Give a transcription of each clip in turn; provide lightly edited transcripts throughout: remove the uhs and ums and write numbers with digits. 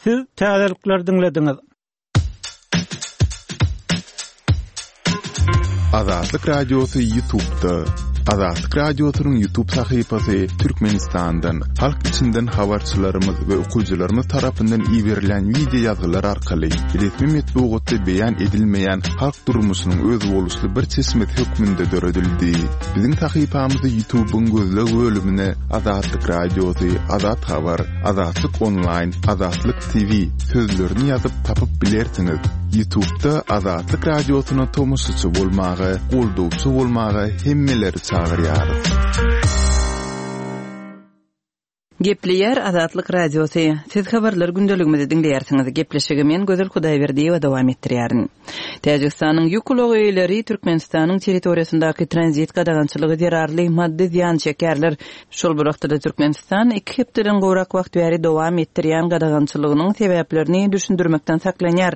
Siz täzelikleri diňlediňiz. Azatlyk Radiosy Ýutubda. Azatlyk Radiosynyň Ýutub sahypasy Türkmenistandan, halk içinden habarçylarymyz we okyjylarymyz tarapyndan iberilen wideo ýazgylar arkaly resmi metbugatda beýan edilmeýän halk durmuşynyň özboluşly bir çeşmesi hökmünde döredildi. Biziň sahypamyzy Ýutubyň gözleg bölümine Azatlyk Radiosy, Azat Habar, Azatlyk Onlaýn, Azatlyk TV sözlerini ýazyp tapyp bilersiňiz. Ýutubda Azatlyk Radiosyna tomaşaçy bolmaga, goldawçy bolmaga hemmeleri çagyrýarys. Gepleýär Azatlyk Radiosy, Siz habarlar gündeligimizi diňleýärsiňiz. Gepleşigi men Gözel Hudaýberdiýewa dowam etdirýärin. Täjigistanyň ýük ulag eýeleri Türkmenistanyň territoriýasyndaky tranzit gadagançylygy zerarly maddy zyýan çekýärler. Şol bir wagtda-da Türkmenistan iki hepdeden gowrak wagt bäri dowam etdirýän gadagançylygynyň sebäplerini düşündirmekden saklanýar.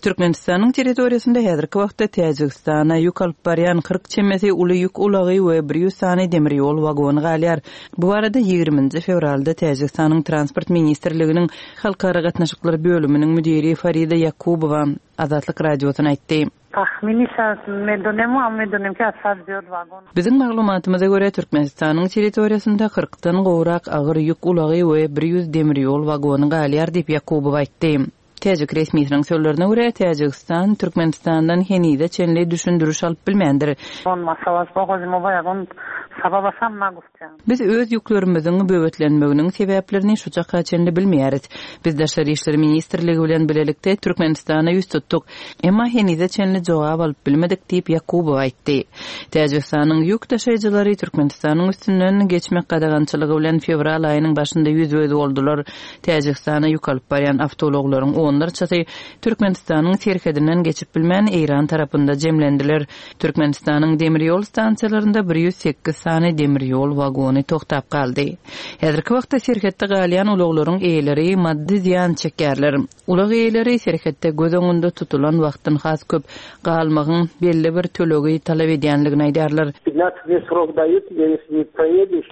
Türkmenistanyň territoriýasynda häzirki wagtda Täjigistana ýük alyp barýan 40 çemesi uly ýük ulagy we 100 sany demir ýol wagony galýar. Bu barada ýigriminji fewralda Täjigistanyň Transport ministrliginiň Halkara gatnaşyklar bölüminiň müdiri Farida Ýakubowa Azatlyk Radiosyna aýtdy. Biziň maglumatymyza görä, Türkmenistanyň territoriýasynda kyrkdan gowrak agyr ýük ulagy we 100 demir ýol wagony galýar diýip, Ýakubowa aýtdy. Täjik resmisiniň sözlerine görä, Täjigistan Türkmenistandan henize çenli düşündiriş alyp bilmändir. Biz öz ýüklerimiziň böwetlenmeginiň sebäplerini şu çaka çenli bilmeýäris. Biz Daşary işler ministrligi bilen bilelikde Türkmenistana ýüz tutduk. Emma henize çenli jogap alyp bilmedik diýip, Ýakubow aýtdy. Täjigistanyň ýük daşaýjylary Türkmenistanyň üstünden geçmek gadagançylygy bilen fewral aýynyň başynda ýüzbe-ýüz boldular. Täjigistana ýük alyp barýan awtoulaglaryň onlarçasy Türkmenistanyň serhedinden geçip bilmän, Eýran tarapynda jemlendiler. Türkmenistanyň demir ýol stansiýalarynda 108 sany demir ýol wagony togtap galdy. Häzirki wagtda serhetde galýan ulaglaryň eýeleri maddy zyýan çekýärler. Ulag eýeleri serhetde göz öňünde tutulan wagtdan has köp galmagyň belli bir tölegi talap edýänligini aýdýarlar. Pятnadtsat dney srok daýut, ýesli ne proýediş,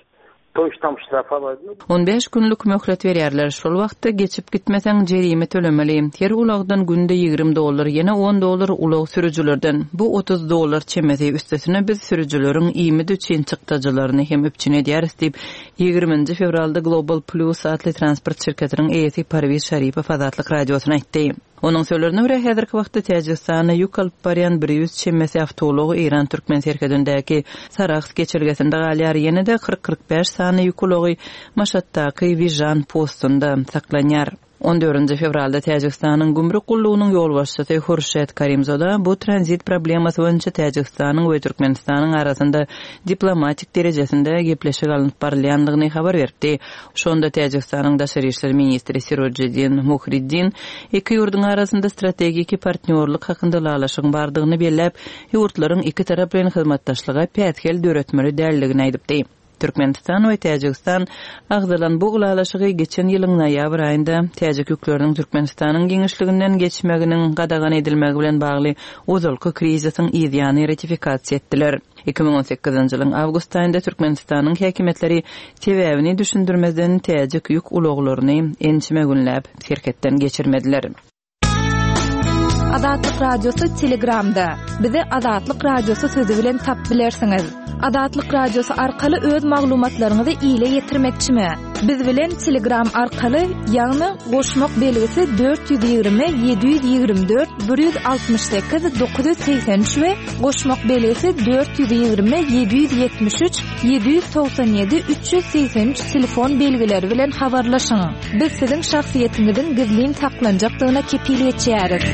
On bäş günlük möhlet berýärler. Şol wagtda geçip gitmeseň, jerime tölemeli. Her ulagdan günde 20 dollar, ýene on dollar ulag sürüjilerden. Bu 30 dollar çemesi. Üstesine biz sürüjileriň iýmit üçin çykdajylaryny hem üpjün edýäris diýip, ýigriminji fewralda Global Plus atly transport şirketiniň eýesi Parwiz Şaripow Azatlyk Radiosyna aýtdy. Onuň sözlerine görä, häzirki wagtda Täjigistana ýük alyp barýan 100 çemesi awtoulag Eýran-türkmen serhedindäki Sarahs geçelgesinde galýar, ýene-de 40-45 sany ýük ulagy Maşatdaky Wižan postunda saklanýar. On dördünji fewralda Täjigistanyň gümrük gullugynyň ýolbaşçysy Hurşet Karimzoda bu tranzit problemasy boýunça Täjigistanyň we Türkmenistanyň arasynda diplomatik derejesinde gepleşik alnyp barylýandygyny habar beripdi. Şonda Täjigistanyň daşary işler ministri Sirojiddin Muhriddin iki ýurduň arasynda strategiki partnýorlyk hakynda ylalaşygyň bardygyny belläp, ýurtlaryň ikitaraplaýyn hyzmatdaşlyga päsgel döretmeli däldigini aýdypdy. Türkmenistan we Täjigistan agzalan bu ylalaşygy geçen ýylyň noýabr aýynda täjik ýükleriniň Türkmenistanyň giňişliginden geçmeginiň gadagan edilmegi bilen bagly ozalky krizisiň yzýany ratifikasiýa etdiler. 2018-nji ýylyň awgust aýynda Türkmenistanyň häkimiýetleri sebäbini düşündirmezden täjik ýük ulaglaryny ençeme günläp serhetden geçirmediler. Azatlyk Radiosy Telegramda. Bizi Azatlyk Radiosy sözi bilen tapyp bilersiňiz. Azatlyk Radiosy arkaly öz maglumatlaryňyzy ile ýetirmekçimi? Biz bilen Telegram arkaly, ýagny goşmak belgisi 420 724 168 983 we goşmak belgisi 420 773 797 383 telefon belgileri bilen habarlaşyň. Biz siziň şahsyýetiňiziň gizlin saklanjakdygyna kepil geçýäris.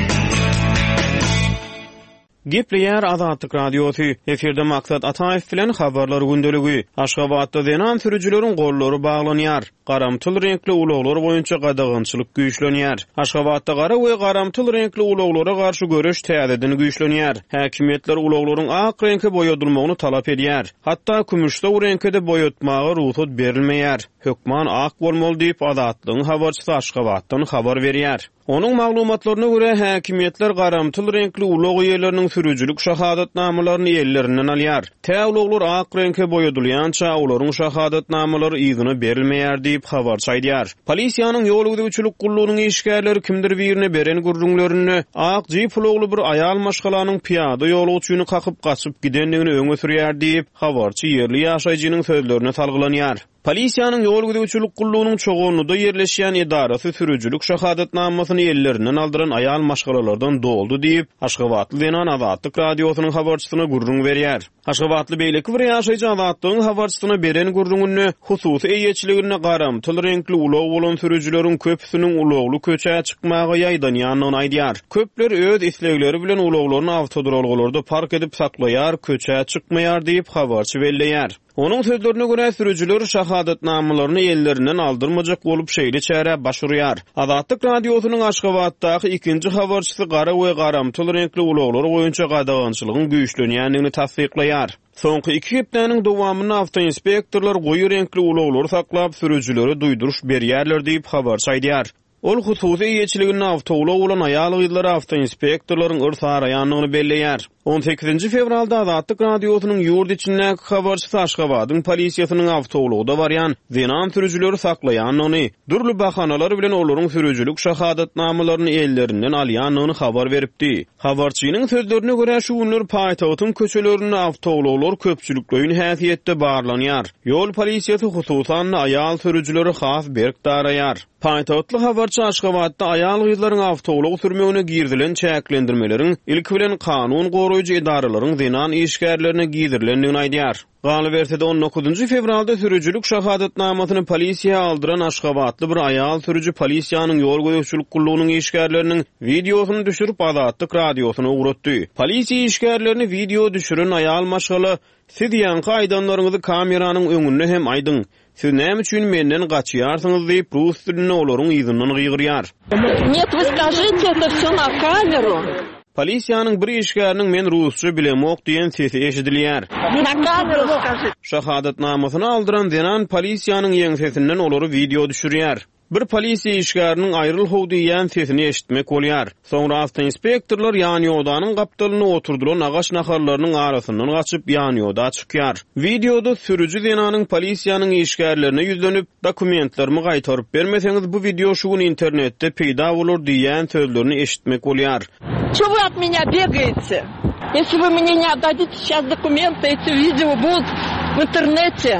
Gepleýär Azatlyk Radiosy, efirde Maksat Ataýew bilen Habarlar gündeligi. Aşgabatda zenan sürüjileriň gollary baglanýar. Garamtyl reňkli ulaglar boýunça gadagançylyk güýçlenýär. Aşgabatda gara we garamtyl reňkli ulaglara garşy göreş täzeden güýçlenýär. Häkimiýetler ulaglaryň ak reňke boýadylmagyny talap edýär. Hatda kümüşsow reňke-de boýatmaga rugsat berilmeýär. Hökman ak bolmaly diýip, Azatlygyň habarçysy Aşgabatdan habar berýär. Onuň maglumatlaryna görä, häkimiýetler garamtyl reňkli ulag eýeleriniň. sürüjilik şahadatnamalaryny ellerinden alýar. Tä ulaglar ak reňke boýadylýança, olaryň şahadatnamalary yzyna berilmeýär diýip, habarçy aýdýar. Polisiýanyň ýol gözegçilik gullugynyň işgärleri kimdir birine beren gürrüňlerinde, ak jip ulagly bir aýal maşgalanyň pyýada ýolagçyny kakyp gaçyp gidendigini öňe sürýär diýip, habarçy ýerli ýaşaýjynyň sözlerine salgylanýar. Polisiýanyň ýol gözegçilik gullugynyň Çoganlyda ýerleşýän edarasy sürüjilik şahadatnamasyny ellerinden aldyran aýal maşgalalardan doldy diýip, aşgabatly zenan Azatlyk Radiosynyň habarçysyna gürrüň berýär. Aşgabatly beýleki bir ýaşaýjy Azatlygyň habarçysyna beren gürrüňinde, hususy eýeçiliginde garamtyl reňkli ulag bolan sürüjileriň köpüsiniň ulagly köçä çykmaga ýaýdanýandygyny aýdýar. Köpler öz islegleri bilen ulaglaryny awtoduralgalarda park edip saklaýar, köçä çykmaýar diýip, habarçy belleýär. Onuň sözlerine görä, sürüjiler şahadatnamalaryny ellerinden aldyrmajak bolup şeýle çärä baş urýar. Azatlyk Radiosynyň Aşgabatdaky ikinji habarçysy gara we garamtyl reňkli ulaglar boýunça gadagançylygyň güýçlenýändigini tassyklaýar. Soňky iki hepdäniň dowamynda awtoinspektorlar goýy reňkli ulaglary saklap, sürüjilere duýduryş berýärler diýip, habarçy aýdýar. Ol hususy eýeçiliginde awtoulag bolan aýal-gyzlara awtoinspektorlaryň yrs araýandygyny belleýär. On sekizinji fewralda Azatlyk Radiosynyň ýurt içindäki habarçysy Aşgabadyň polisiýasynyň awtoulagda barýan zenan sürüjileri saklaýandygyny, dürli bahanalar bilen olaryň sürüjilik şahadatnamalaryny ellerinden alýandygyny habar beripdi. Habarçynyň sözlerine görä, şu günler paýtagtyň köçelerinde awtoulaglar köpçülikleýin häsiýetde barlanýar. Ýol polisiýasy hususan-da aýal sürüjileri has berk daraýar. Paýtagtly habarçy Aşgabatda aýal-gyzlaryň awtoulag sürmegine girizilen çäklendirmeleriň ilki bilen kanun goraýjy edaralaryň zenan işgärlerine gizirilendigini aýdýar. Galyberse-de, on dokuzynjy fewralda sürüjilik şahadatnamasyny polisiýa aldyran aşgabatly bir aýal sürüji polisiýanyň ýol gözegçilik gullugynyň işgärleriniň wideosyny düşürip, Azatlyk Radiosyna ugratdy. Polisiýa işgärlerini wideo düşüren aýal maşgala Siz ýaňky aýdanlaryňyzy kameranyň öňünde hem aýdyň. Siz näme üçin menden gaçýarsyňyz diýip, rus dilinde olaryň yzyndan gygyrýar. Net, вы skажите это все na kameru. Polisiýanyň bir işgäriniň men rusça bilemok diýen sesi eşidilýär. Na kameru skažite. Şahadatnamasyny aldyran zenan polisiýanyň ýeňsesinden olary wideo düşürýär. Bir polisiýa işgäriniň aýryl how diýýän sesini eşitmek bolýar. Soňra awtoinspektorlar ýanýodanyň gapdalynda oturdylan agaç nahallarynyň arasyndan gaçyp, ýanýoda çykýar. Wideoda sürüji zenanyň polisiýanyň işgärlerine ýüzlenip, Dokumentlerimi gaýtaryp bermeseňiz, bu wideo şu gün internetde peýda bolar diýýän sözlerini eşitmek bolýar. Ço vy ot menýa begaýete? Ýesli vy mne ne otdadite seyças dokumenty, eti wideo budut w internete.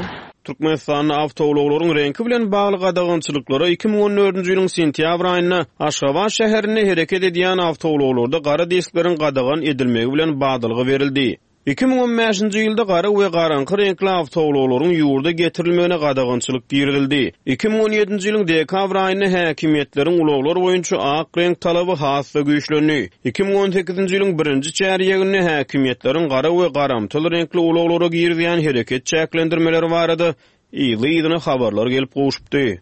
Türkmenistanda awtoulaglaryň reňki bilen bagly gadagançylyklara 2014-nji ýylyň sentýabr aýynda Aşgabat şäherinde hereket edýän awtoulaglarda gara diskleriň gadagan edilmegi bilen badalga berildi. 2015-nji ýylda gara we garaňky reňkli awtoulaglaryň ýurda getirilmegine gadagançylyk girizildi. 2017-nji ýylyň dekabr aýynda häkimiýetleriň ulaglar boýunça ak reňk talaby has-da güýçlendi. 2018-nji ýylyň birinji çärýeginde häkimiýetleriň gara we garamtyl reňkli ulaglara girizýän hereket çäklendirmeleri barada yzly-yzyna habarlar gelip gowşupdy.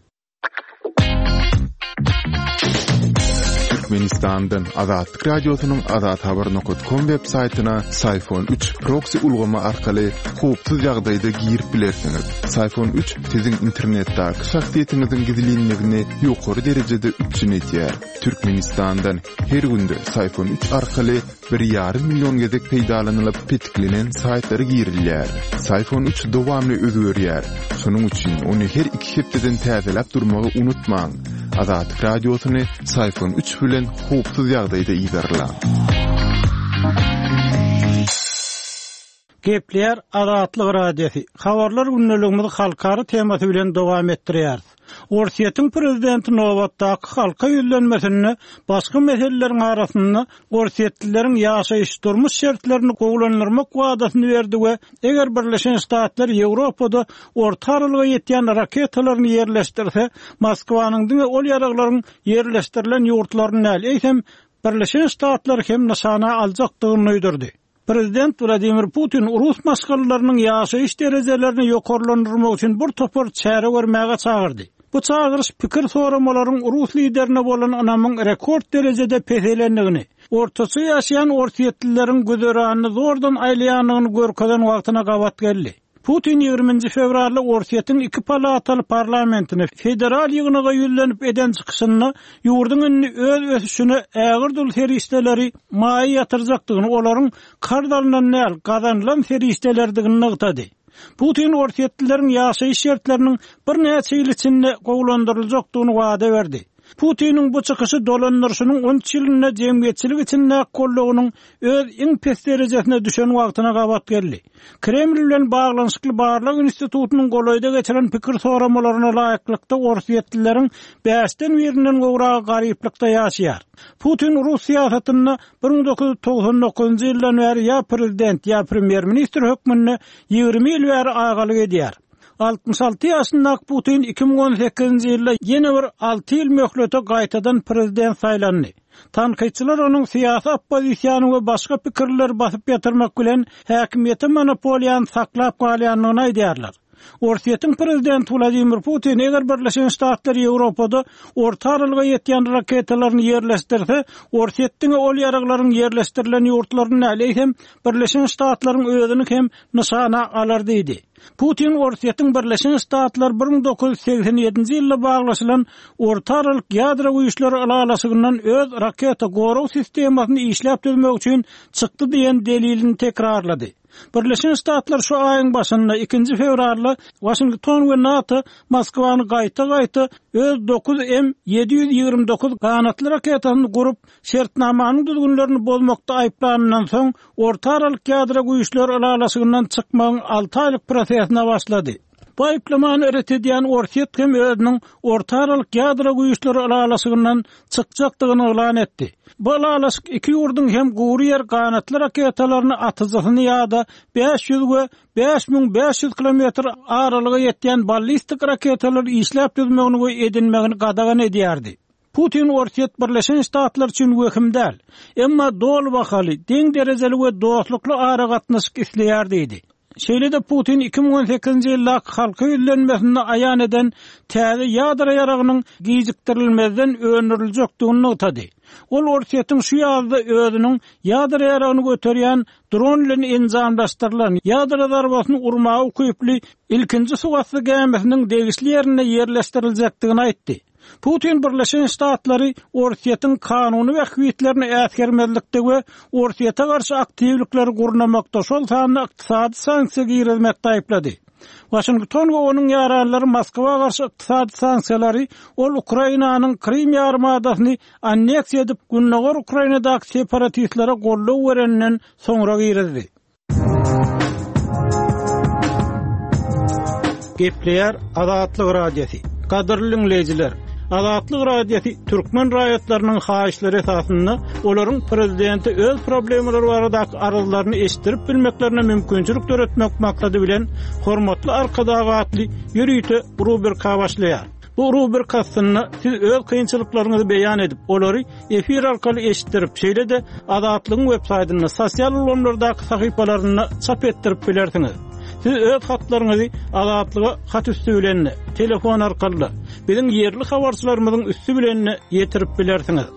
Türkmenistandan Azatlyk Radiosynyň azathabar nokat kom web saýtyna Syfon 3 proksi ulgamy arkaly howpsuz ýagdaýda girip bilersiňiz. Syfon 3 siziň internetdäki şahsyýetiňiziň gizlinligini ýokary derejede üpjün edýär. Türkmenistandan Her günde Syfon 3 arkaly bir ýarym million gezek peýdalanylyp petiklenen saýtlara girilýär. Syfon 3 dowamly özgerýär. Şonuň üçin ony her iki hepdeden täzeläp durmagy unutmaň. Azatlyk Radiosyny Syfon 3 bilen howpsuz ýagdaýda yzarlaň. Gepleýär Azatlyk Radiosy. Habarlar gündeligimizi halkara temasy bilen dowam etdirýäris. Orsýetiň prezidenti nobatdaky halka ýüzlenmesinde başga meseleleriň arasynda orsýetlileriň ýaşaýyş-durmuş şertlerini gowulandyrmak wadasyny berdi we eger Birleşen Ştatlar Ýewropada orta aralyga ýetýän raketalaryny ýerleşdirse, Moskwanyň diňe ol ýaraglaryň ýerleşdirilen ýurtlaryny däl, eýsem, Birleşen Ştatlary hem nyşana aljakdygyny duýdurdy. Prezident Wladimir Putin rus maşgalalarynyň ýaşaýyş derejelerini ýokarlandyrmak üçin bir topar çäre görmäge çagyrdy. Bu çagyryş pikir soramalaryň rus liderine bolan ynamyň rekord derejede peselendigini, ortaça ýaşaýan orsýetlileriň güzeranyny zordan aýlaýandygyny görkezen wagtyna gabat geldi. Putin ýigriminji fewralda Orsýetiň iki palataly parlamentine, Federal ýygnaga ýüzlenip eden çykyşynda ýurduň indi öz ösüşine ägirt uly serişdeleri maýa ýatyrjakdygyny, olaryň karz alnan däl, gazanylan serişdelerdigini nygtady. Putin orsýetlileriň ýaşaýyş şertleriniň birnäçe ýyl içinde gowulandyryljakdygyny wada berdi. Putiniň bu çykyşy dolandyryşynyň on üç ýylynda jemgyýetçilik içindäki goldawynyň öz iň pes derejesine düşen wagtyna gabat geldi. Kreml bilen baglanyşykly barlag institutynyň golaýda geçiren pikir soramalaryna laýyklykda, orsýetlileriň bäşden birinden gowragy garyplykda ýaşaýar. Putin rus syýasatynda 1999-njy ýyldan bäri ýa prezident, ýa premýer-ministr hökmünde 20 ýyl bäri agalyk edýär. 66 ýaşyndaky Putin 2018-nji ýylda ýene bir alty ýyl möhlete gaýtadan prezident saýlandy. Tankytçylar onuň syýasy oppozisiýany we başga pikirlileri basyp ýatyrmak bilen häkimiýete monopoliýany saklap galýandygyny aýdýarlar. Orsýetiň prezidenti Wladimir Putin eger Birleşen Ştatlar Ýewropada orta aralyga ýetýän raketalaryny ýerleşdirse, Orsýet diňe ol ýaraglaryň ýerleşdirilen ýurtlaryny däl, eýsem, Birleşen Ştatlaryň özüni hem nyşana alar diýdi. Putin Orsýetiň Birleşen Ştatlar 1987-nji ýylda baglaşylan Orta aralyk ýadro güýçleri ylalaşygyndan öz raketa gorag sistemasyny işläp düzmek üçin çykdy diýen delilini tekrarlady. Birleşen Ştatlar şu aýyň başynda, ikinji fewralda Waşington we NATO Moskwany gaýta-gaýta öz dokuz M 729 ganatly raketasyny gurup, şertnamanyň düzgünlerini bozmakda aýyplanyndan soň, Orta aralyk ýadro güýçleri ylalaşygyndan çykmagyň alty aýlyk prosesine başlady. Bu aýyplamany ret edýän Orsýet hem özüniň Orta aralyk ýadro güýçleri ylalaşygyndan çykjakdygyny yglan etdi. Bu ylalaşyk iki ýurduň hem gury ýer ganatly raketalaryny atyjysyny ýa-da 500 we 5500 kilometr aralyga ýetýän ballistik raketalary işläp düzmegini we edinmegini gadagan edýärdi. Putin Orsýet Birleşen Ştatlar üçin wehim däl, emma doly bahaly, deň derejeli we dostlukly aragatnaşyk isleýär diýdi. Şeýle-de Putin 2018-nji ýyldaky halka ýüzlenmesinde aýan eden täze ýadro ýaragynyň gijikdirilmezden öndüriljekdigini nygtady. Ol Orsýetiň şu ýazda özüniň ýadro ýaragyny göterýän dron bilen enjamlaşdyrylan, ýadro zarbasyny urmaga ukyply ilkinji suwasty gämisiniň degişli ýerinde ýerleşdiriljekdigini aýtdy. Putin Birleşen Ştatlary Orsýetiň kanuny bähbitlerini äsgermezlikde we Orsýete garşy aktiwlikleri gurnamakda, şol sanda ykdysady sanksiýa girizmekde aýyplady. Waşington we onuň ýaranlary Moskwa garşy ykdysady sanksiýalary ol Ukrainanyň Krym ýarymadasyny anneksiýa edip, gündogar Ukrainadaky separatistlere goldaw bereninden soňra girizdi. Gepleýär Azatlyk Radiosy. Gadyrly diňleýjiler, Azatlyk Radiosy türkmen raýatlarynyň haýyşlary esasynda olaryň prezidente öz problemalary baradaky arzlaryny eşitdirip bilmeklerine mümkinçilik döretmek maksady bilen Hormatly Arkadag atly ýörite rubrika başlaýar. Bu rubrika astynda siz öz kynçylyklaryňyzy beýan edip, olary efir arkaly eşitdirip, şeýle-de Azatlygyň websaýtynda, sosial ulgamlardaky sahypalarynda çap etdirip bilersiňiz. Siz öz hatlaryňyzy Azatlyga hat üsti bilen-de, telefon arkaly-da, biziň ýerli habarçylarymyzyň üsti bilen-de ýetirip bilersiňiz.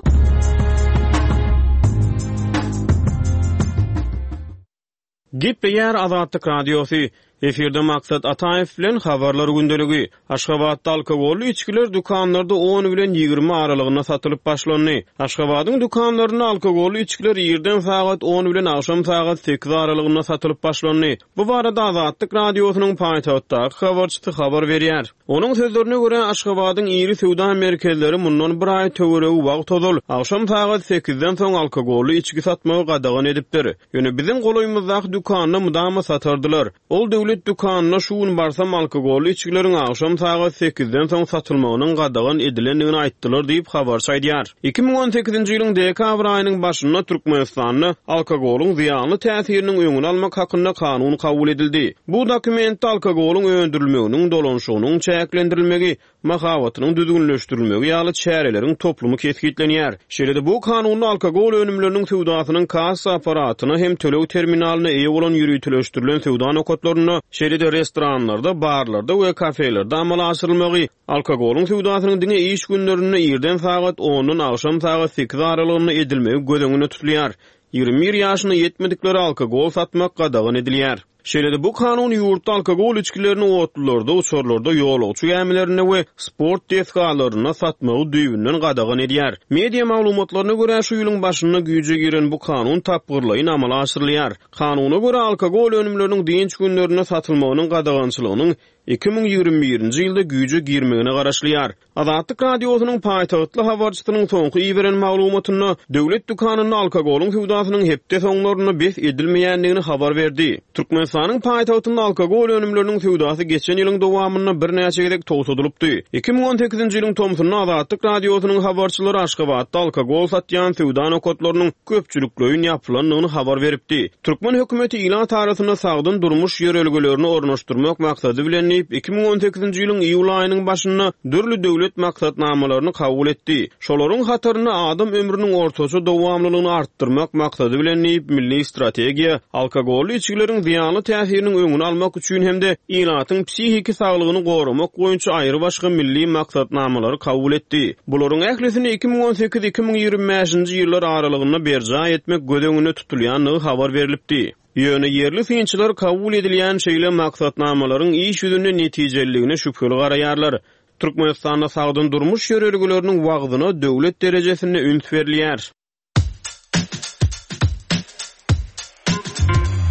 Gepleýär Azatlyk Radiosy, Efirde Maksat Ataýew bilen Habarlar gündeligi. Aşgabatda alkogolly içgiler dükanlarda on bilen 20 aralygynda satylyp başlandy. Aşgabadyň dükanlarynda alkogolly içgiler irden sagat on bilen agşam sagat sekiz aralygynda satylyp başlandy. Bu barada Azatlyk Radiosynyň paýtagtdaky habarçysy habar berýär. Onuň sözlerine görä, Aşgabadyň iri söwda merkezleri mundan bir aý töweregi wagt ozal, agşam sagat sekizden soň alkogolly içgi satmagy gadagan edipdir. Ýöne biziň golaýymyzdaky dükanda mydama satardylar. Ol döwlet dükanyna şu gün barsam alkogolly içgileriň agşam sagat sekizden soň satylmagynyň gadagan edilendigini aýtdylar diýip, habarçy aýdýar. 2018-nji ýylyň dekabr aýynyň başynda Türkmenistanda alkogolyň zyýanly täsiriniň öňüni almak hakynda kanun kabul edildi. Bu dokumentde alkogolyň öndürilmeginiň, dolanyşygynyň çäklendirilmegi, mahabatynyň düzgünleşdirilmegi ýaly çäreleriň toplumy kesgitlenýär. Şeýle-de bu kanunda alkogol önümleriniň söwdasynyň kassa apparatyna hem töleg terminalyna eýe bolan ýöriteleşdirilen söwda nokatlarynda, şeýle-de restoranlarda, barlarda we kafelerde amala aşyrylmagy, alkogolyň söwdasynyň diňe iş günlerinde irden sagat ondan agşam sagat sekiz aralygynda edilmegi göz öňünde tutulýar. 21 ýaşyna ýetmediklere alkogol satmak gadagan edilýär. Şeýle-de bu kanun ýurtda alkogol içgilerini otlularda, uçarlarda, ýolagçy gämilerinde we sport desgalarynda satmagy düýbünden gadagan edýär. Media maglumatlaryna görä, şu ýylyň başynda güýje giren bu kanun tapgyrlaýyn amala aşyrylýar. Kanuna görä, alkogol önümleriniň dynç günlerinde satylmagynyň gadagançylygynyň 2021-nji ýylda güýje girmegine garaşylýar. Azatlyk Radiosynyň paýtagtly habarçysynyň soňky iberen maglumatynda, döwlet dükanynda alkogolyň söwdasynyň hepde soňlarynda bes edilmeýändigini habar berdi. Türkmenistanyň paýtagtynda alkogol önümleriniň söwdasy geçen ýylyň dowamynda birnäçe gezek togtadylypdy. 2018-nji ýylyň tomsunda Azatlyk Radiosynyň habarçylary Aşgabatda alkogol satýan söwda nokatlarynyň köpçülikleýin ýapylandygyny habar beripdi. Türkmen hökümeti ilat arasynda sagdyn durmuş ýörelgelerini ornaşdyrmak maksady bilen diýip, 2018-nji ýylyň iýul aýynyň başynda dürli döwlet maksatnamalaryny kabul etdi. Şolaryň hatarynda adam ömrüniň ortaça dowamlylygyny artdyrmak maksady bilen diýip, milli strategiýa, alkogolly içgileriň zyýanly täsiriniň öňüni almak üçin hem-de ilatyň psihiki saglygyny goramak boýunça aýrybaşga milli maksatnamalary kabul etdi. Bularyň ählisini 2018, 2025-nji ýyllar aralygynda berjaý etmek göz öňünde tutulýandygy habar berlipdi. Ýöne ýerli synçylar kabul edilýän şeýle maksatnamalaryň iş ýüzünde netijeliligine şübheli garaýarlar. Türkmenistanda sagdyn durmuş ýörelgeleriniň wagzyna döwlet derejesinde üns berilýär.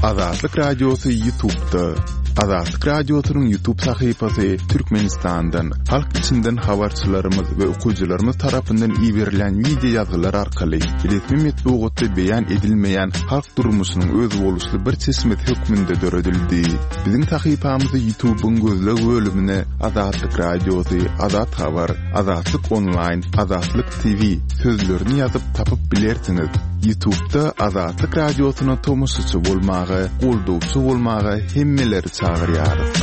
Azatlyk Radiosy Ýutubda. Azatlyk Radiosynyň Ýutub sahypasy Türkmenistandan, halk içinden habarçylarymyz we okyjylarymyz tarapyndan iberilen wideo ýazgylar arkaly resmi metbugatda beýan edilmeýän halk durmuşynyň özboluşly bir çeşmesi hökmünde döredildi. Biziň sahypamyzy Ýutubyň gözleg bölümine Azatlyk Radiosy, Azat Habar, Azatlyk Onlaýn, Azatlyk TV sözlerini ýazyp tapyp bilersiňiz. Ýutubda Azatlyk Radiosyna tomaşaçy bolmaga, goldawçy bolmaga hemmeleri çagyrýarys.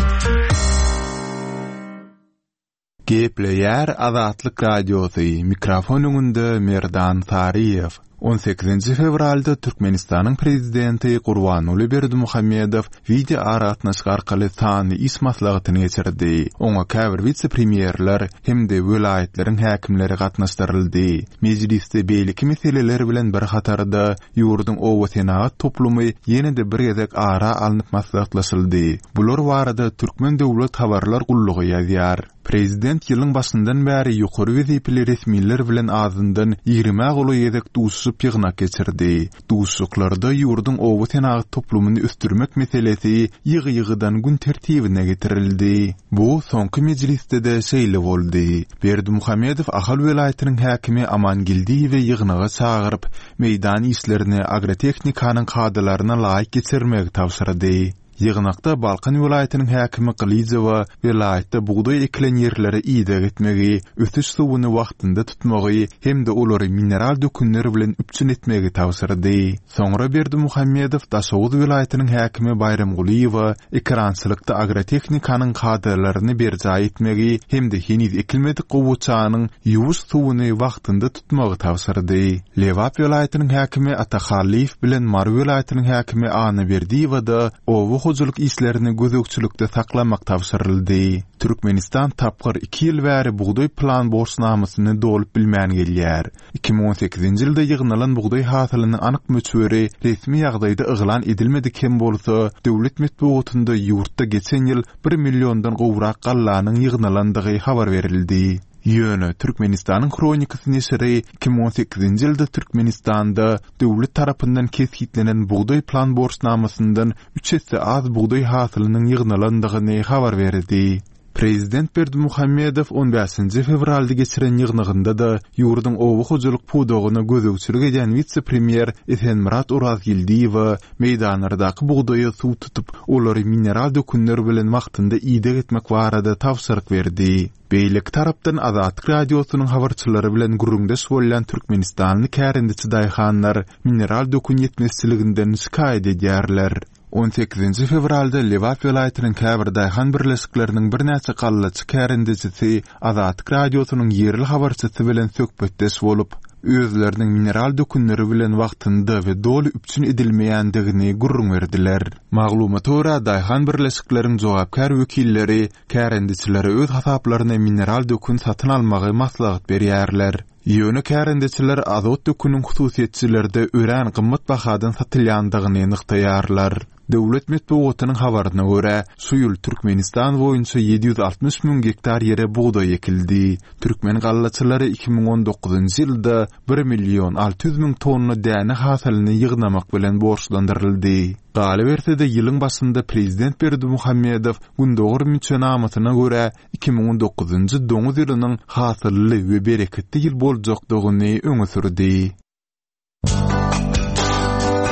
Gepleýär Azatlyk Radiosy, mikrofon öňünde Merdan Saryýew. On sekizinji fewralda Türkmenistanyň Prezidenti Gurbanguly Berdimuhamedow wideoaragatnaşyk arkaly sanly iş maslahatyny geçirdi. Oňa käbir wise-premýerler hem-de welaýatlaryň häkimleri gatnaşdyryldy. Mejlisde beýleki meseleler bilen bir hatarda, ýurduň obasenagat toplumy ýene-de bir gezek ara alnyp maslahatlaşyldy. Bular barada Türkmen döwlet habarlar gullugy ýazýar. Prezident ýylyň başyndan bäri ýokary wezipeli resmiler bilen azyndan ýigrimä golaý gezek duşuşyp ýygnak geçirdi. Duşuşyklarda ýurduň oba senagat toplumyny ösdürmek meselesi ýygy-ýygydan gün tertibine getirildi. Bu soňky mejlisde-de şeýle boldy. Berdimuhamedow Ahal welaýatynyň häkimi Aman Geldiýewi ýygnaga çagyryp, meýdan işlerini agrotehnikanyň kadalaryna laýyk geçirmegi tabşyrdy. Ýygnakda Balkan welaýatynyň häkimi Gylyjowa welaýatda bugdaý ekilen ýerlere ideg etmegi, ösüş suwuny wagtynda tutmagy hem-de olary mineral dökünler bilen üpjün etmegi tabşyrdy. Soňra Berdimuhamedow Daşoguz welaýatynyň häkimi Baýramgulyýewa ekerançylykda agrotehnikanyň kadalaryny berjaý etmegi hem-de heniz ekilmedik gowaçanyň ýuwuş suwuny wagtynda tutmagy tabşyrdy. Lebap welaýatynyň häkimi Ata Hallyýew bilen Mary welaýatynyň häkimi Anna Berdiýewa-da oba hojalyk işlerini gözegçilikde saklamak tabşyryldy. Türkmenistan tapgyr iki ýyl bäri bugdaý plan borçnamasyny dolup bilmän gelýär. 2018-nji ýylda ýygnalan bugdaý hasylynyň anyk möçberi resmi ýagdaýda yglan edilmedik hem bolsa, döwlet metbugatynda ýurtda geçen ýyl bir milliondan gowrak gallanyň ýygnalandygy habar berildi. Ýöne Türkmenistanyň Hronikasy neşiri 2018-nji ýylda Türkmenistanda döwlet tarapyndan kesgitlenen bugdaý plan borçnamasyndan üç esse az bugdaý hasylynyň ýygnalandygyny habar berdi. Prezident Berdimuhamedow on bäşinji fewralda geçiren ýygnagynda-da ýurduň oba hojalyk pudagyna gözegçilik edýän wise-premýer Esenmyrat Orazgeldiýewe meýdanlardaky bugdaýa suw tutup, olary mineral dökünler bilen wagtynda ideg etmek barada tabşyryk berdi. Beýleki tarapdan Azatlyk Radiosynyň habarçylary bilen gürrüňdeş bolýan türkmenistanly kärendeçi daýhanlar mineral dökün ýetmezçiliginden şikaýat edýärler. On sekizinji fewralda Lebap welaýatynyň käbir daýhan birleşikleriniň birnäçe gallaçy kärendeçisi Azatlyk Radiosynyň ýerli habarçysy bilen söhbetdeş bolup, özleriniň mineral dökünleri bilen wagtynda we doly üpjün edilmeýändigini gürrüň berdiler. Maglumata görä, daýhan birleşikleriň jogapkär wekilleri Kärendeçilere öz hasaplaryna mineral dökün satyn almagy maslahat berýärler. Ýöne kärendeçiler azot döküniň hususyýetçilerde örän gymmat bahadan satylýandygyny nygtaýarlar. Döwlet metbugatynyň habaryna görä, şu ýyl Türkmenistan boýunça 760 müň gektar ýere bugdaý ekildi. Türkmen gallaçylary 2019-njy ýylda bir million 600 müň tonna däne hasylyny ýygnamak bilen borçlandyryldy. Galyberse-de, ýylyň başynda prezident Berdimuhamedow Gündogar müçenamasyna görä, 2019-njy doňuz ýylynyň hasylly we bereketli ýyl boljakdygyny öňe sürdi.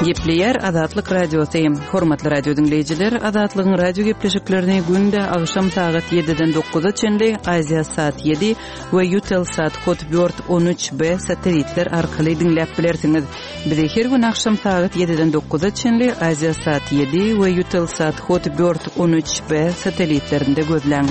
Gepleýär Azatlyk Radiosy. Hormatly radio diňleýjiler, Azatlygyň radio gepleşiklerini günde agşam sagat 7-den 9-a çenli Aziýa sat 7 we Eutelsat Hotbird 13B satelitler arkaly diňläp bilersiňiz. Bizi her gün agşam sagat 7-den 9-a çenli Aziýa sat 7 we Eutelsat Hotbird 13B satelitlerinde gözläň.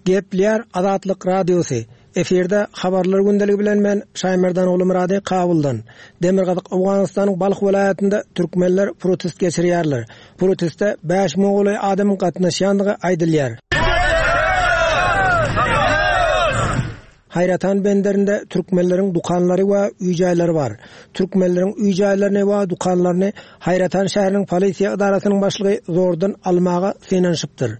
Gepleýär Azatlyk Radiosy, Efirde Habarlar gündeligi bilen men Şaýmerdan Ogulmyrady Kabuldan. Demirgazyk Owganystanyň Balh welaýatynda türkmenler protest geçirýärler. Proteste 5000 golaý adamyň gatnaşýandygy aýdylýar. Haýratan benderinde türkmenleriň dükanlary we öý-jaýlary bar. Türkmenleriň öý-jaýlaryny we dükanlaryny Haýratan şäheriniň polisiýa edarasynyň başlygy zordan almaga synanyşypdyr.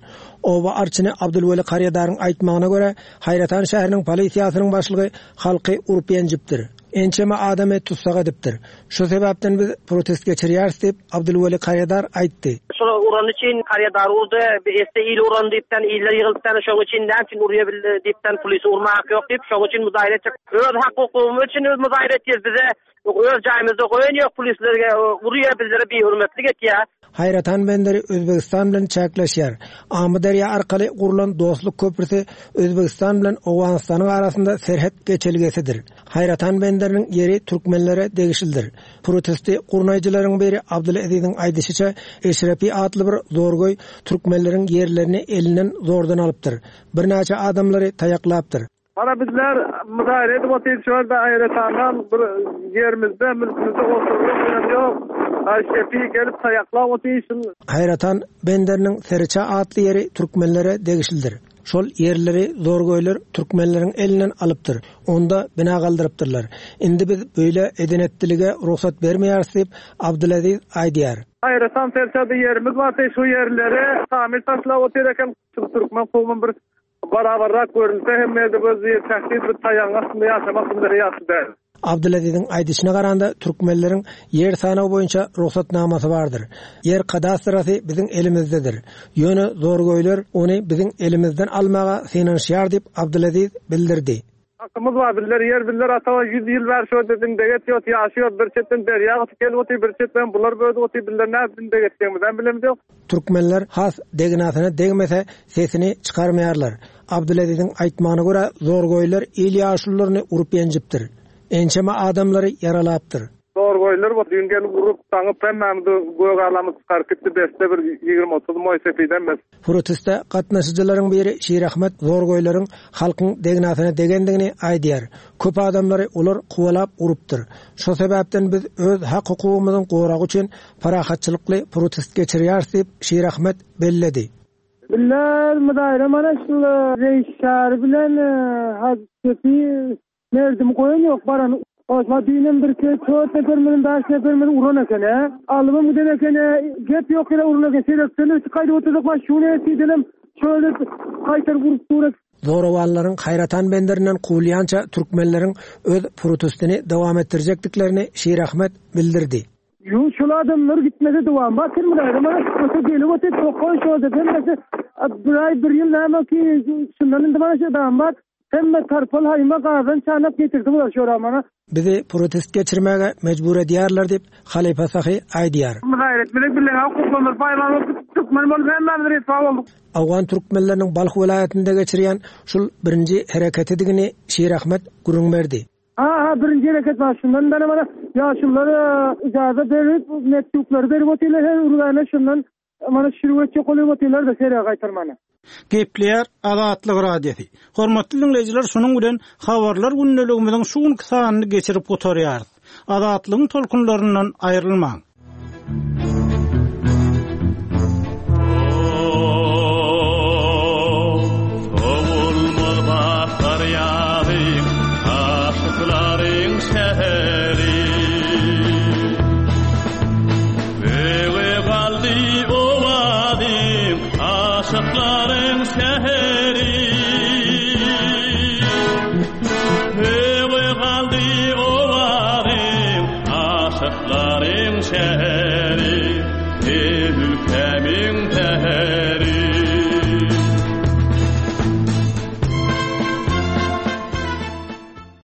Oba arçyny Abdulweli Karýadaryň aýtmagyna görä, Haýratan şäheriniň polisiýasynyň başlygy halky urup-ýenjipdir. Ençeme adamy tussag edipdir. Şu sebäpden biz protest geçirýäris diýip, Abdulweli Karýadar aýtdy. Şol urany üçin Karýadar urdy, esse il uran diýipden, iller ýygylypdan, şoň üçin näme üçin urýa bildi diýipden, polisi urma haky ýok diýip, şoň üçin muzaýra etjek. Öz hak-hukugymyz üçin biz muzaýra etýäris, bize öz jaýymyzda goýan ýok, polisler urýa, bizlere bihürmetlik etýä. Haýratan benderi Özbegistan bilen çäkleşýär. Amyderýa arkaly gurlan Dostluk köprüsi Özbegistan bilen Owganystanyň arasynda serhet geçelgesidir. Haýratan benderiniň ýeri türkmenlere degişlidir. Protesti gurnaýjylaryň biri Abdyleziziň aýdyşyça, Eşrepi atly bir zorgöý türkmenleriň ýerlerini elinden zordan alypdyr. Birnäçe adamlary taýaklapdyr. Mana bizler muzaýra edip otyrys şu ýerde Aýratandan bir ýerimizde mülkümizde oturlyk ýer ýok. Eşrepi gelip taýaklap otyr şul. Haýratan benderiniň Seriça atly ýeri türkmenlere degişlidir. Şol ýerleri zorgöýler türkmenleriň elinden alypdyr. Onda bina galdyrypdyrlar. Indi biz beýle eden-etdilige rugsat bermeýäris diýip, Abdylaziz aýdýar. Aýratam serçede ýerimiz bardy, şu ýerleri tamir taşlap otyr eken. Şu türkmen kowmy bir barabarrak görünse hem ýerde göz diýip tähdit bir taýagyň astynda ýaşamak bizlere ýagşy däl. Abdylaziziň aýdyşyna garanda, türkmenleriň ýer sanawy boýunça rugsatnamasy bardyr. Ýer kadastrasy biziň elimizdedir. Ýöne zorgöýler ony biziň elimizden almaga synanyşýar diýip, Abdylaziz bildirdi. Hakymyz bar, bizler ýer bizler ata ýüz ýyl bäri şu ýerde dindek etýos, ýaşaýos, bir çetden derýa gysyp gelip otyr, bir çetden bular bödüp otyr, bizler nädip dindek etjegimizem bilemizok. Türkmenler has degnasyna degmese sesini çykarmaýarlar. Abdyleziziň aýtmagyna görä, zorgöýler il ýaşulularyny urup-ýenjipdir. Ençeme adamlary ýaralapdyr. Zorgoýlar bu düýn gelip urup, daňyp hemmämizi gök alamyz çykaryp gitdi beste bir 20-30 moý sepidem bes. Proteste gatnaşyjylaryň biri Şirahmet zorgoýlaryň halkyň degnasyna degendigini aýdýar. Köp adamlary olar kowalap urupdyr. Şo sebäpden biz öz hak-hukugymyzyň goragy üçin parahatçylykly protest geçirýäris diýip, Şirahmet belledi. Bizler myzaýra mana şul reýis Çary bilen Hajy Sepi Merdimi goýan ýok baran Osma düýnem birki tört neperimiziň bäş neperimizi uran eken ä. Alybam giden eken ä. Gep ýok ýere uran eken. Serekden ötüp gaýdyp otyrdyk baş şuny etdidenem şöyle gaýtaryp urup dur. Zorawanlaryň Haýratan benderinden kowulýança türkmenleriň öz protestini dowam etdirjekdiklerini Şirahmet bildirdi. Ýo şol adamlar gitmese dowam bar sen muny aýdama öte gelip otyr tokaý şol dep hemmesi bir aý bir ýyl näme ki şundan indi mana şu dam bar hemme tarpal haýma gazan çanak getirdi bular şora mana. Bizi protest geçirmäge mejbur edýärler diýip, halypa Sahy aýdýar. Myzaýyr etmesek bileň hukuklarymyz paýmal bolup gitdi türkmen bolup hemmämiz ryswa bolduk. Owgan türkmenleriniň Balh welaýatynda geçirýän şul birinji hereketidigini Şirahmet gürrüň berdi. Ha ha birinji hereket bar şundan beri mana ýaşulular ijaza berip mektuplary berip otyrlar her urgana şundan mana şürük etjek bolup otyrlar da serä gaýtarmana. Gepleýär Azatlyk Radiosy. Hormatly diňleýjiler şunuň bilen Habarlar gündeligimiziň şu günki sanyny geçirip gutarýarys. Azatlygyň tolkunlaryndan aýrylmaň. geçer.